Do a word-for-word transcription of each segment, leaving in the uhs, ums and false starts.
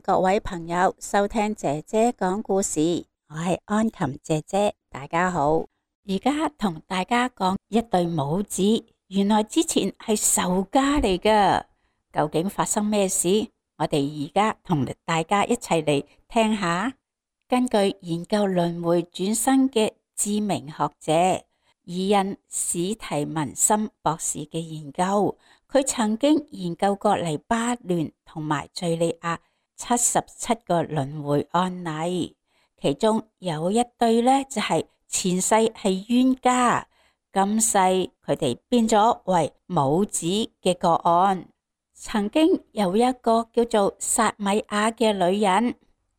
各位朋友收聽姐姐講故事，我係安琴姐姐，大家好。而家同大家講一對母子，原來之前係仇家嚟㗎，究竟發生咩事？我哋而家同大家一齊嚟聽下。根據研究輪迴轉生嘅知名學者伊恩史提文森博士嘅研究，佢曾經研究過黎巴嫩同埋敘利亞七十七個輪迴案例，其中有一對呢，就係前世係冤家，今世佢哋變咗為母子嘅個案。曾經有一個叫做薩米亞嘅女人，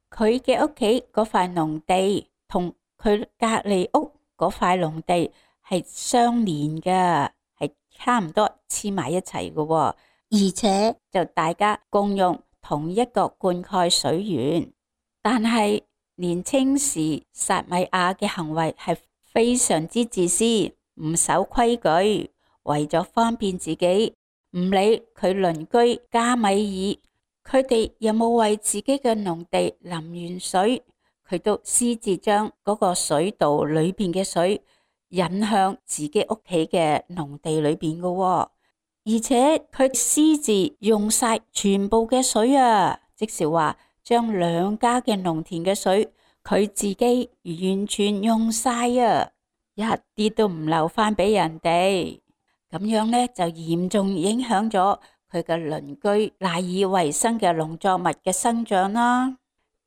佢嘅屋企嗰塊農地同佢隔籬屋嗰塊農地係相連嘅，係差唔多黐埋一齊嘅，而且就大家共用同一個灌溉水源。但係年青時薩米亞嘅行為係非常之自私，唔守規矩，為咗方便自己，唔理佢鄰居加米爾，佢哋有冇為自己嘅農地淋完水，佢都私自將嗰個水道裏邊嘅水引向自己屋企嘅農地裏邊嘅，而且佢私自用晒全部嘅水啊，即是話將兩家嘅農田嘅水佢自己完全用晒啊，一啲都唔留翻俾人哋。咁樣呢，就嚴重影響咗佢嘅鄰居賴以為生嘅農作物嘅生長啦。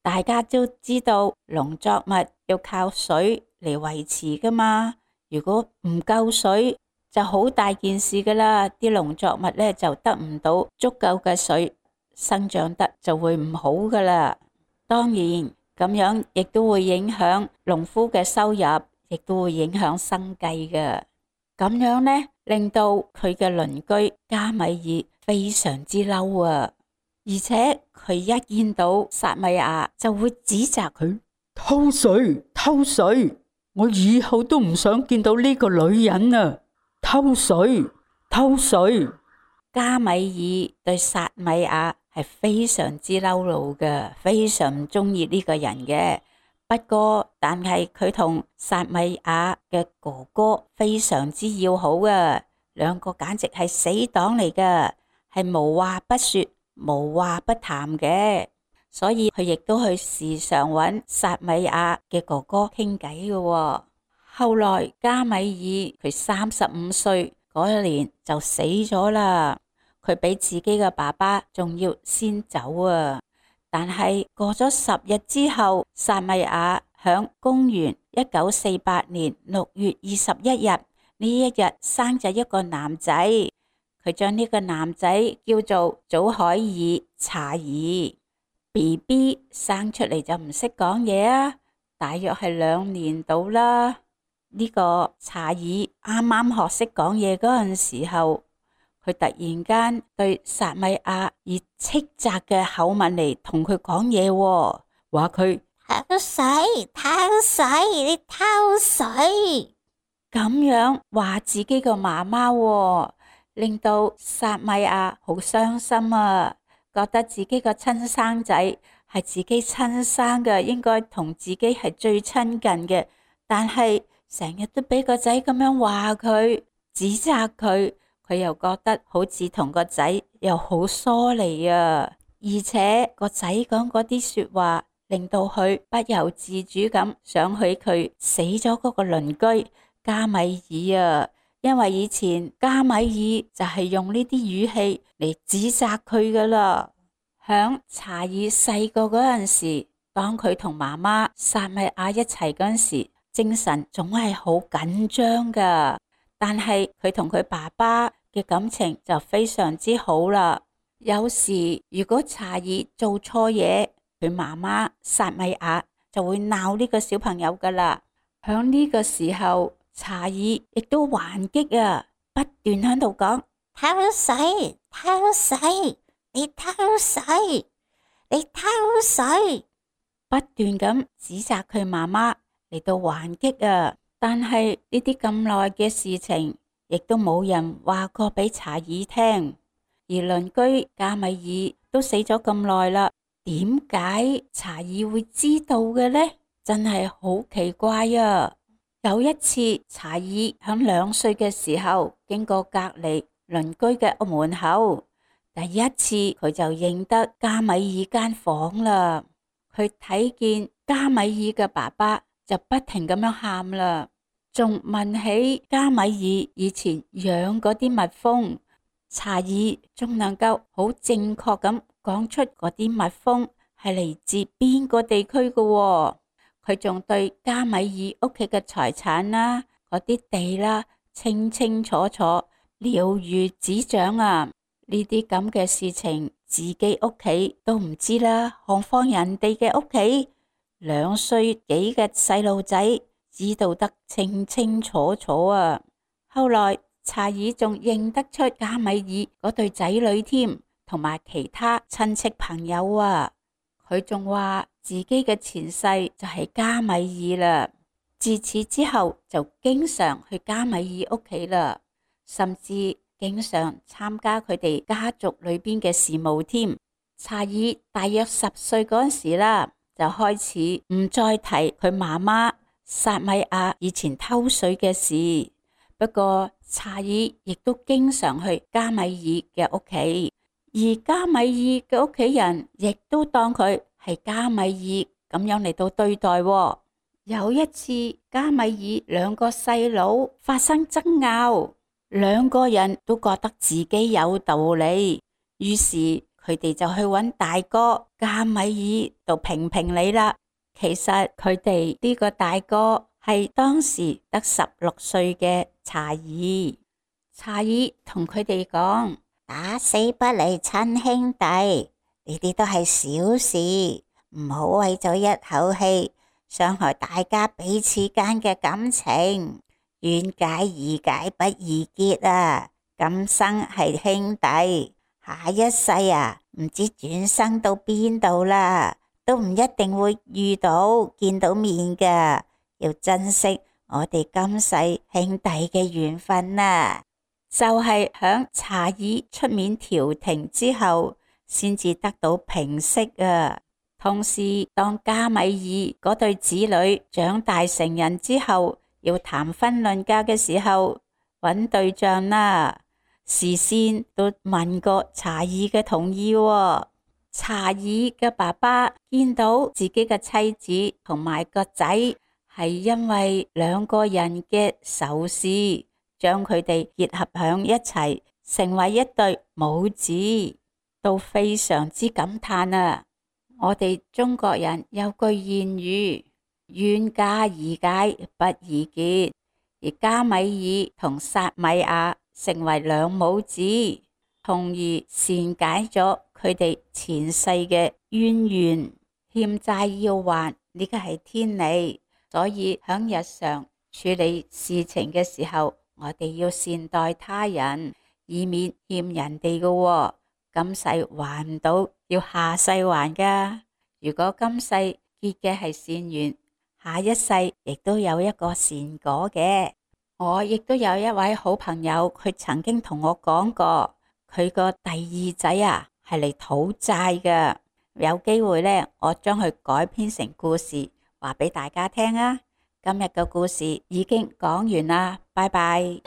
大家都知道農作物要靠水嚟維持噶嘛，如果唔夠水就好大件事噶啦，啲農作物呢就得唔到足夠嘅水，生長得就會唔好噶啦。當然咁樣亦都會影響農夫嘅收入，亦都會影響生計嘅。咁樣呢，令到佢嘅鄰居加米爾非常之嬲啊！而且佢一見到薩米亞就會指責佢偷水偷水，我以後都唔想見到呢個女人啊！偷水偷水。加米爾對薩米亞係非常之嬲怒嘅，非常唔中意呢個人嘅。不過但係佢同薩米亞嘅哥哥非常之要好啊，兩個簡直係死黨嚟㗎，係無話不說無話不談嘅，所以佢亦都去時常揾薩米亞嘅哥哥傾偈嘅。後來加米爾佢三十五歲嗰一年就死咗啦，佢比自己嘅爸爸仲要先走啊。但係過咗十日之後，薩米亞響公元一九四八年六月二十一日呢一日生咗一個男仔，佢將呢個男仔叫做祖海爾查爾。B B 生出嚟就唔識講嘢啊，大約係兩年到啦。呢個查爾啱啱學識講嘢嗰陣時候，佢突然間對薩米亞以斥責嘅口吻嚟同佢講嘢，話佢偷水偷水，你偷水，咁樣話自己個媽媽，令到薩米亞好傷心啊，覺得自己個親生仔係自己親生嘅，應該同自己係最親近嘅，但係成日都俾個仔咁樣話佢，指責佢。佢又覺得好似同個仔又好疏離啊，而且個仔講嗰啲說話令到佢不由自主咁想起佢死咗嗰個鄰居加米爾啊，因為以前加米爾就係用呢啲語氣嚟指責佢噶啦。響查爾細個嗰陣時，當佢同媽媽薩米亞一齊嗰陣時，精神總係好緊張噶，但係佢同佢爸爸嘅感情就非常之好啦。有時如果查爾做錯嘢，佢媽媽薩米亞就會鬧呢個小朋友噶啦。響呢個時候，查爾亦都還擊啊，不斷喺度講偷水偷水，你偷水你偷水，不斷咁指責佢媽媽嚟到還擊啊。但係呢啲咁耐嘅事情，亦都冇人話過俾查爾聽，而鄰居加米爾都死咗咁耐啦，點解查爾會知道嘅呢？真係好奇怪啊！有一次，查爾響兩歲嘅時候經過隔籬鄰居嘅屋門口，第一次佢就認得加米爾間房啦。佢睇見加米爾嘅爸爸就不停咁樣喊啦，仲問起加米爾以前養嗰啲蜜蜂。查爾仲能夠好正確咁講出嗰啲蜜蜂係嚟自邊個地區嘅喎。佢仲對加米爾屋企嘅財產啦、嗰啲地啦清清楚楚了如指掌啊！呢啲咁嘅事情自己屋企都唔知啦，何況人哋嘅屋企？兩歲幾嘅細路仔知道得清清楚楚啊！後來查爾仲認得出加米爾嗰對仔女添，同埋其他親戚朋友啊。佢仲話自己嘅前世就係加米爾啦。自此之後就經常去加米爾屋企啦，甚至經常參加佢哋家族裏邊嘅事務添。查爾大約十歲嗰時啦，就開始唔再提佢媽媽薩米亞以前偷水嘅事。不過查爾亦都經常去加米爾嘅屋企，而加米爾嘅屋企人亦都當佢係加米爾咁樣嚟到對待。有一次，加米爾兩個細佬發生爭拗，兩個人都覺得自己有道理，於是佢哋就去揾大哥加米爾度評評理啦。其實佢哋呢個大哥係當時得十六歲嘅查爾。查爾同佢哋講：打死不離親兄弟，呢啲都係小事，唔好為咗一口氣傷害大家彼此間嘅感情。冤解宜解不宜結啊！今生係兄弟，下一世啊，唔知轉生到邊度啦，都唔一定會遇到見到面㗎。要珍惜我哋今世兄弟嘅緣分啊！就係響查爾出面調停之後，先至得到平息啊。同時，當加米爾嗰對子女長大成人之後，要談婚論嫁嘅時候，揾對象啦，事先都問過查爾嘅同意喎。查爾嘅爸爸見到自己嘅妻子同埋個仔係因為兩個人嘅仇視，將佢哋結合響一齊，成為一對母子，都非常之感嘆啊！我哋中國人有句諺語：冤家宜解不宜結，而加米爾同薩米亞成為兩母子，從而善解咗佢哋前世嘅淵源。欠債要還，呢個係天理，所以響日常處理事情嘅時候，我哋要善待他人，以免欠人哋嘅喎。今世還唔到，要下世還噶。如果今世結嘅係善緣，下一世亦都有一個善果嘅。我亦都有一位好朋友，佢曾經同我講過，佢個第二仔啊係嚟討債嘅。有機會呢，我將佢改編成故事，話俾大家聽啊。今日嘅故事已經講完啦，拜拜。